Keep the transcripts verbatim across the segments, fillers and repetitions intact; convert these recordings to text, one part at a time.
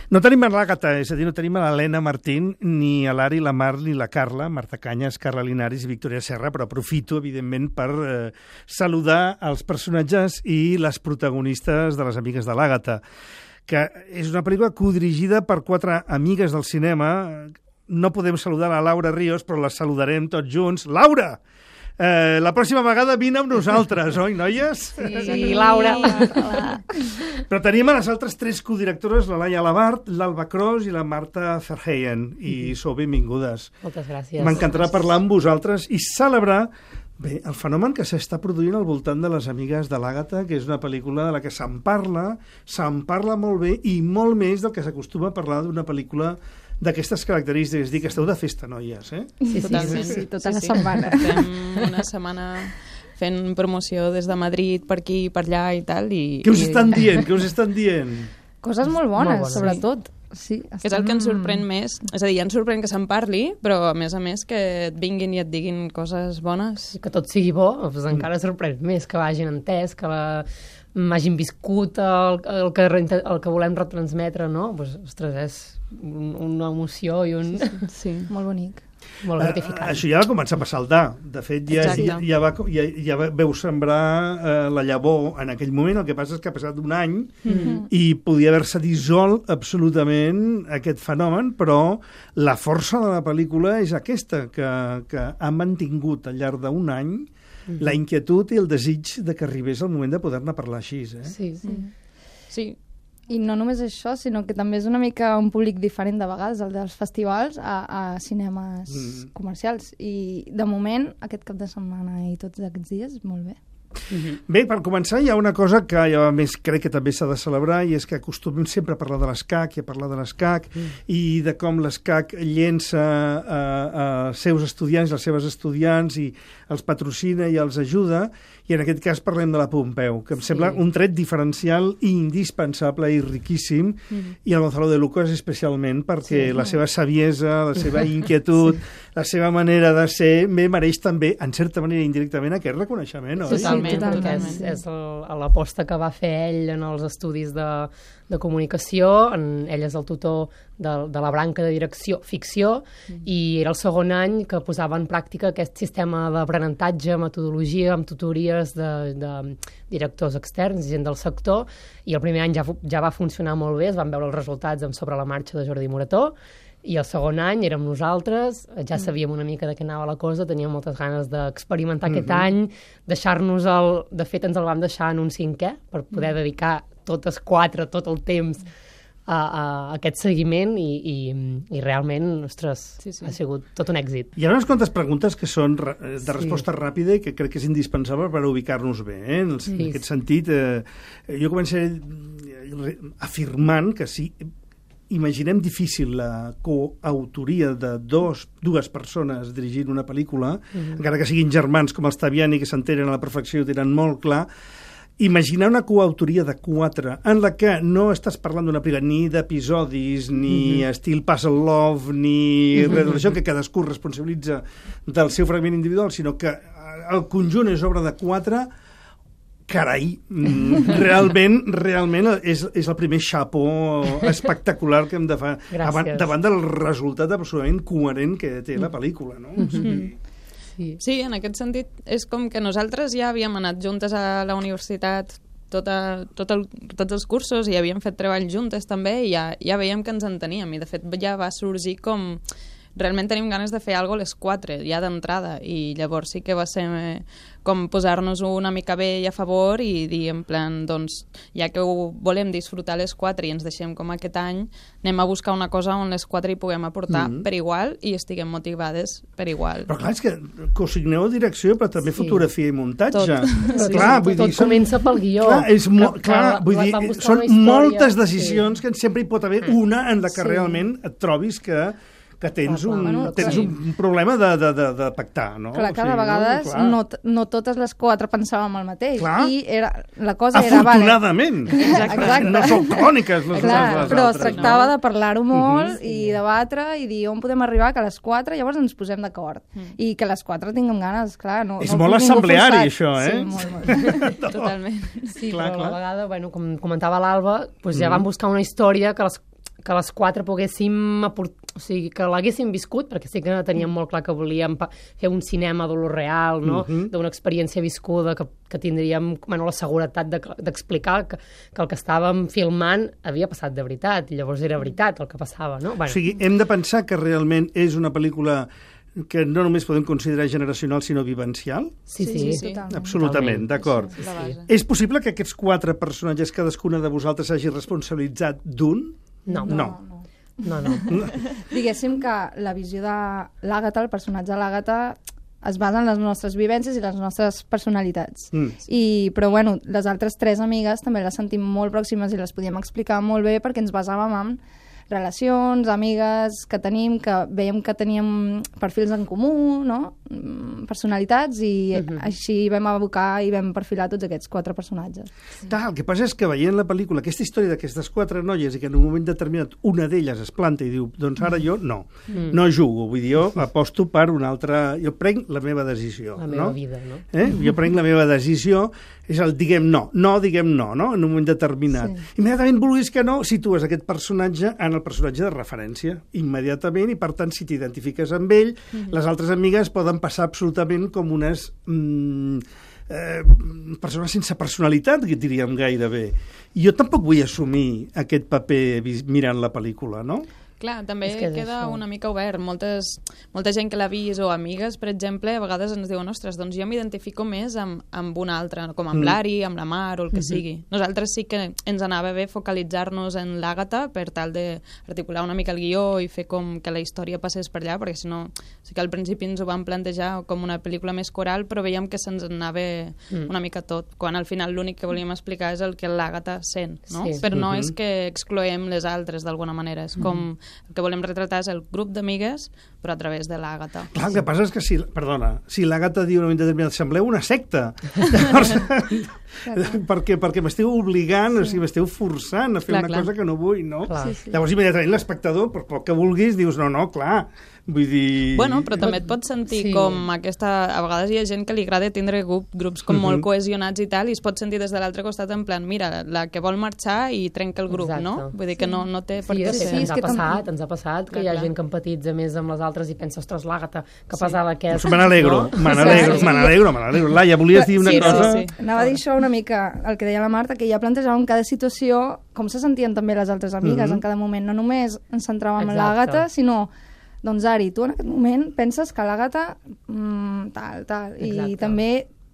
No tenim a l'Àgata, és a dir, no tenim a l'Helena Martín, ni a l'Ari, la Mar, ni la Carla, Marta Canyes, Carla Linares i Victòria Serra, però aprofito, evidentment, per eh, saludar els personatges i les protagonistes de Les amigues de l'Àgata, que és una pel·lícula codirigida per quatre amigues del cinema. No podem saludar la Laura Ríos, però la saludarem tots junts. Laura! Eh, la pròxima vegada vine amb nosaltres, oi, noies? Sí, sí, Laura. Però tenim a les altres tres codirectores, la Laia Labart, l'Alba Cros i la Marta Verheyen, i sou benvingudes. Moltes gràcies. M'encantarà parlar amb vosaltres i celebrar bé, el fenomen que s'està produint al voltant de Les amigues de l'Àgata, que és una pel·lícula de la que se'n parla, se'n parla molt bé i molt més del que s'acostuma a parlar d'una pel·lícula d'aquestes característiques. Dic que esteu de festa, noies, eh? Sí, sí, sí, sí, tota la setmana. Fem una setmana fent promoció des de Madrid, per aquí i per allà i tal. I, Què us i... estan dient? Què us estan dient? Coses molt bones, molt bones. sobretot. Sí, estem... És el que ens sorprèn més. És a dir, ja ens sorprèn que se'n parli, però a més a més que et vinguin i et diguin coses bones. Que tot sigui bo, doncs encara sorprèn més, que l'hagin entès, que la... m'hagin viscut el, el, que, el que volem retransmetre, no? Pues, ostres, és un, una emoció i un... Sí, sí, sí. Molt bonic. Molt gratificant. Uh, això ja va començar a passar. De fet, ja, ja, ja, va, ja, ja veu sembrar uh, la llavor en aquell moment. El que passa és que ha passat un any mm-hmm. i podia haver-se dissolt absolutament aquest fenomen, però la força de la pel·lícula és aquesta, que, que ha mantingut al llarg d'un any mm-hmm. la inquietud i el desig de que arribés el moment de poder-ne parlar així. Eh? Sí, sí. Sí. I no només això, sinó que també és una mica un públic diferent de vegades, el dels festivals, a, a cinemes mm. comercials. I, de moment, aquest cap de setmana i tots aquests dies, molt bé. Mm-hmm. Bé, per començar, hi ha una cosa que jo, a més, crec que també s'ha de celebrar, i és que acostumem sempre a parlar de l'escac i a parlar de l'escac mm. i de com l'escac llença a, a seus estudiants, les seves estudiants, i els patrocina i els ajuda, i en aquest cas parlem de la Pompeu, que em sí. sembla un tret diferencial i indispensable i riquíssim, mm. i el Gonzalo de Lucas especialment, perquè sí. la seva saviesa, la seva inquietud, sí. la seva manera de ser, bé, mereix també, en certa manera indirectament, aquest reconeixement, oi? Totalment, sí, totalment. És, és l'aposta que va fer ell en els estudis de, de comunicació, en, ell és el tutor de, de la branca de direcció ficció, mm. i era el segon any que posava en pràctica aquest sistema d'aprenentatge, metodologia, amb tutories de, de directors externs, gent del sector, i el primer any ja, ja va funcionar molt bé, es van veure els resultats amb Sobre la marxa de Jordi Morató, i el segon any érem nosaltres, ja sabíem una mica de què anava la cosa, teníem moltes ganes d'experimentar mm-hmm. aquest any, deixar-nos el... De fet, ens el vam deixar en un cinquè, per poder mm. dedicar totes quatre, tot el temps a, a aquest seguiment, i, i, i realment, ostres, sí, sí. ha sigut tot un èxit. Hi ha unes quantes preguntes que són de resposta sí. ràpida i que crec que és indispensable per ubicar-nos bé. Eh? En, el, sí. en aquest sentit, eh, jo començaré afirmant que sí, imaginem difícil la coautoria de dos, dues persones dirigint una pel·lícula, mm-hmm. encara que siguin germans com els Taviani, que s'entenen a la perfecció i ho tenen molt clar. Imaginar una coautoria de quatre en la que no estàs parlant d'una pel·lícula ni d'episodis, ni mm-hmm. estil Puzzle Love, ni mm-hmm. res d'això, que cadascú responsabilitza del seu fragment individual, sinó que el conjunt és obra de quatre. Carai, realment, realment és, és el primer xapó espectacular que hem de fer davant, davant del resultat absolutament coherent que té la pel·lícula, no? Mm-hmm. O sigui... sí. sí, en aquest sentit és com que nosaltres ja havíem anat juntes a la universitat tota, tot el, tots els cursos i havíem fet treball juntes també, i ja, ja veiem que ens enteníem, i de fet ja va sorgir com... Realment tenim ganes de fer alguna cosa a les quatre, ja d'entrada, i llavors sí que va ser com posar-nos una mica bé i a favor i dir en plan, doncs, ja que ho volem disfrutar a les quatre i ens deixem com aquest any, anem a buscar una cosa on les quatre hi puguem aportar mm-hmm. per igual i estiguem motivades per igual. Però clar, és que cosigneu direcció, però també sí. fotografia i muntatge. Tot, sí, clar, sí, vull tot dir, comença pel guió. Clar, és mo que, clar que vull dir, són moltes decisions sí. que sempre hi pot haver una en la que sí. realment et trobis que que tens, clar, un, bueno, tens sí. un problema de, de, de, de pactar, no? Clar, cada o sigui, vegades no, no, no totes les quatre pensàvem el mateix. Clar. I era, la cosa era... Afortunadament! Vale. Exacte. No són cròniques les clar, les però altres. es tractava no? de parlar-ho molt uh-huh. i debatre i dir on podem arribar, que a les quatre llavors ens posem d'acord. Mm. I que a les quatre tinguem ganes, clar. No, és no molt assembleari, això, eh? Sí, molt, molt. Totalment. Sí, clar, però clar. a la vegada, bueno, com comentava l'Alba, doncs ja mm. vam buscar una història que les que les quatre poguéssim aportar, o sigui, que l'haguéssim viscut, perquè sí que teníem molt clar que volíem fer un cinema de lo real, no? Uh-huh. D'una experiència viscuda que, que tindríem, bueno, la seguretat d'explicar de, que, que el que estàvem filmant havia passat de veritat, i llavors era veritat el que passava, no? Bueno. O sigui, hem de pensar que realment és una pel·lícula que no només podem considerar generacional, sinó vivencial? Sí, sí, sí, sí. totalment. Absolutament, d'acord. Sí, sí. És possible que aquests quatre personatges, cadascuna de vosaltres, hagi responsabilitzat d'un? No. No. no. No, no. Diguéssim que la visió de l'Àgata, el personatge de l'Àgata, es basa en les nostres vivències i les nostres personalitats. Mm. I, però, bueno, les altres tres amigues també les sentim molt pròximes i les podíem explicar molt bé perquè ens basàvem en relacions, amigues que tenim, que veiem que teníem perfils en comú, no? Personalitats, i uh-huh. així vam abocar i vam perfilar tots aquests quatre personatges. Sí. El que passa és que veient la pel·lícula, aquesta història d'aquestes quatre noies i que en un moment determinat una d'elles es planta i diu, doncs ara jo no, mm. no jugo, vull dir, jo aposto per una altra... Jo prenc la meva decisió. La meva no? vida, no? Eh? Jo prenc la meva decisió, és el diguem no, no diguem no, no? En un moment determinat. Sí. Immediatament, vulguis que no, situes aquest personatge en el personatge de referència, immediatament, i per tant, si t'identifiques amb ell, mm-hmm. les altres amigues poden passar absolutament com unes mm, eh, persones sense personalitat, que diríem gairebé. I jo tampoc vull assumir aquest paper mirant la pel·lícula, no? Clar, també que queda això. una mica obert. Moltes, molta gent que l'ha vist o amigues, per exemple, a vegades ens diuen, ostres, doncs jo m'identifico més amb, amb una altra, com amb mm. l'Ari, amb la Mar o el que mm-hmm. sigui. Nosaltres sí que ens anava bé focalitzar-nos en l'Àgata per tal d'articular una mica el guió i fer com que la història passés per allà, perquè si no, sí que al principi ens ho vam plantejar com una pel·lícula més coral, però veiem que se'ns anava mm. una mica tot, quan al final l'únic que volíem explicar és el que l'Àgata sent, no? Sí. Però no mm-hmm. és que excloem les altres d'alguna manera, és com... Mm. El que volem retratar és el grup d'amigues, però a través de l'Àgata. Clar, el que passa és que si, perdona, si l'Àgata diu una determinada, sembleu una secta. Llavors, perquè, perquè m'esteu obligant, sí. o sigui, m'esteu forçant a fer clar, una clar. cosa que no vull, no? Sí, sí. Llavors, immediatament l'espectador, per poc que vulguis, dius, no, no, clar, vull dir... Bueno, però també et pots sentir sí. com aquesta... A vegades hi ha gent que li agrada tindre grup, grups com molt cohesionats i tal, i es pot sentir des de l'altre costat en plan, mira, la que vol marxar i trenca el grup, Exacte. no? Vull dir que no, no té sí, per què sí, ser. Sí, ens ha passat, ens ha passat que clar, hi ha clar. gent que empatitza més amb les altres i pensa, ostres, l'Àgata, que sí. pesada que és. Pues me n'alegro, no? me n'alegro, sí. me n'alegro, me n'alegro. Laia, volies dir una sí, cosa? Sí, sí. Anava a dir això una mica, el que deia la Marta, que ja plantejàvem cada situació, com se sentien també les altres amigues mm-hmm. en cada moment. No només ens centràvem en l'Àgata, sinó... Doncs, Ari, tu en aquest moment penses que l'Àgata mmm, tal, tal, Exacte. i també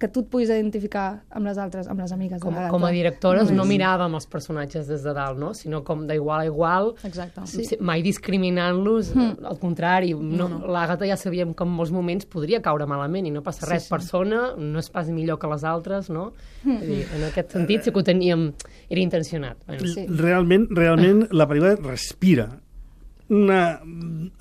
que tu et puguis identificar amb les altres, amb les amigues com, de l'Àgata. Com a directores no, no miràvem els personatges des de dalt, no? Sinó com d'igual a igual, Exacte. Sí. mai discriminant-los, mm. al contrari. No, no. L'Àgata ja sabíem que en molts moments podria caure malament i no passa res. Sí, sí. Persona no és pas millor que les altres, no? Mm. Dir, en aquest sentit sí que ho teníem, era intencionat. Bueno. Sí. Realment, realment la pel·lícula respira una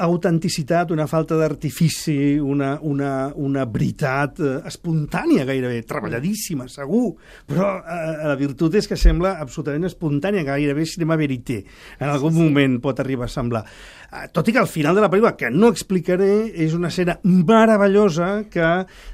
autenticitat, una falta d'artifici, una, una, una veritat eh, espontània gairebé, treballadíssima, segur, però eh, la virtut és que sembla absolutament espontània, gairebé cinema verité. En algun sí, sí. moment pot arribar a semblar. Eh, tot i que al final de la pel·lícula, que no explicaré, és una escena meravellosa que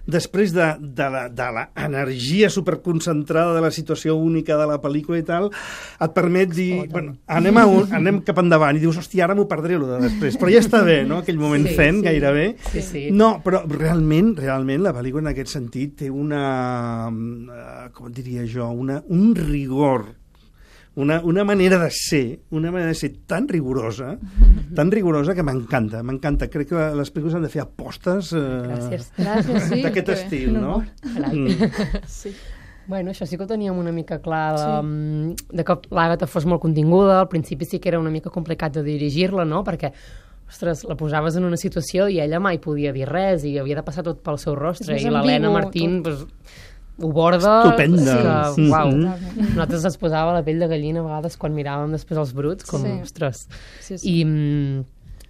després de, de, la, de la energia superconcentrada de la situació única de la pel·lícula i tal, et permet dir, oh, bueno, anem, a un, anem cap endavant i dius, hòstia, ara m'ho perdré lo de després, però ja està bé, no? Aquell moment sí, zen, sí. gairebé. Sí, sí. No, però realment, realment, la pel·lícula en aquest sentit té una, uh, com diria jo, una, un rigor, una, una manera de ser, una manera de ser tan rigorosa, mm-hmm. tan rigorosa que m'encanta, m'encanta. Crec que les pel·lícules han de fer apostes uh, Gràcies. Gràcies, sí. d'aquest estil, no? Mm. Sí. Bueno, això sí que ho teníem una mica clar, de, sí. de que l'Àgata fos molt continguda. Al principi sí que era una mica complicat de dirigir-la, no? Perquè, ostres, la posaves en una situació i ella mai podia dir res i havia de passar tot pel seu rostre. I l'Helena Martín pues, ho borda... Estupenda. Que, uau. Sí. Nosaltres es posava la pell de gallina a vegades quan miràvem després els bruts, com, sí. ostres. Sí, sí. I...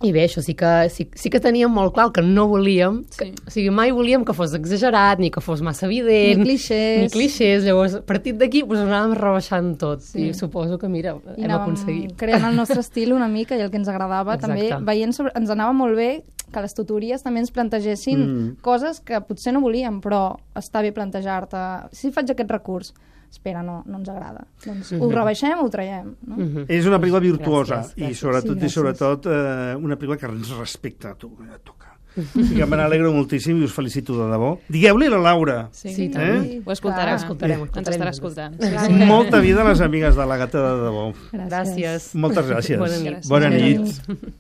I bé, això sí que, sí, sí que teníem molt clar que no volíem, que, sí. o sigui, mai volíem que fos exagerat, ni que fos massa evident, ni clixés. Ni clixés. Llavors, a partir d'aquí, pues, anàvem rebaixant tot. Sí. I suposo que, mira, I hem aconseguit. creant el nostre estil una mica i el que ens agradava. Exacte. També veient sobre, ens anava molt bé que les tutories també ens plantegessin mm. coses que potser no volíem, però està bé plantejar-te. Si faig aquest recurs, espera, no, no ens agrada. Doncs uh -huh. ho rebaixem o ho traiem. No? Uh -huh. És una pel·lícula virtuosa gràcies, gràcies. i sobretot, sí, i sobretot eh, una pel·lícula que ens respecta a tu, a tocar. I que me n'alegro moltíssim i us felicito de debò. Digueu-li a la Laura. Sí, sí eh? ho escoltarà. Clar, escoltarem, Ens escoltarem. estarà escoltant. Clar. Molta vida a les amigues de la Gata de debò. Gràcies. Moltes gràcies. Bona nit. Bona Bona nit. nit.